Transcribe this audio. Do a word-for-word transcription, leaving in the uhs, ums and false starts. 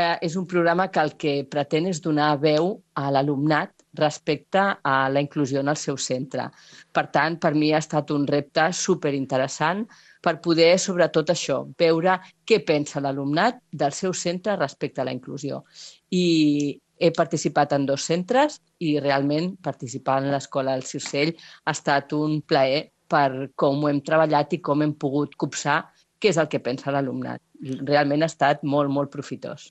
eh, és un programa que el que pretén és donar veu a l'alumnat respecte a la inclusió en el seu centre. Per tant, per mi ha estat un repte superinteressant per poder, sobretot això, veure què pensa l'alumnat del seu centre respecte a la inclusió. I he participat en dos centres i realment participar en l'Escola del Circell ha estat un plaer per com ho hem treballat i com hem pogut copsar què és el que pensa l'alumnat. Realment ha estat molt, molt profitós.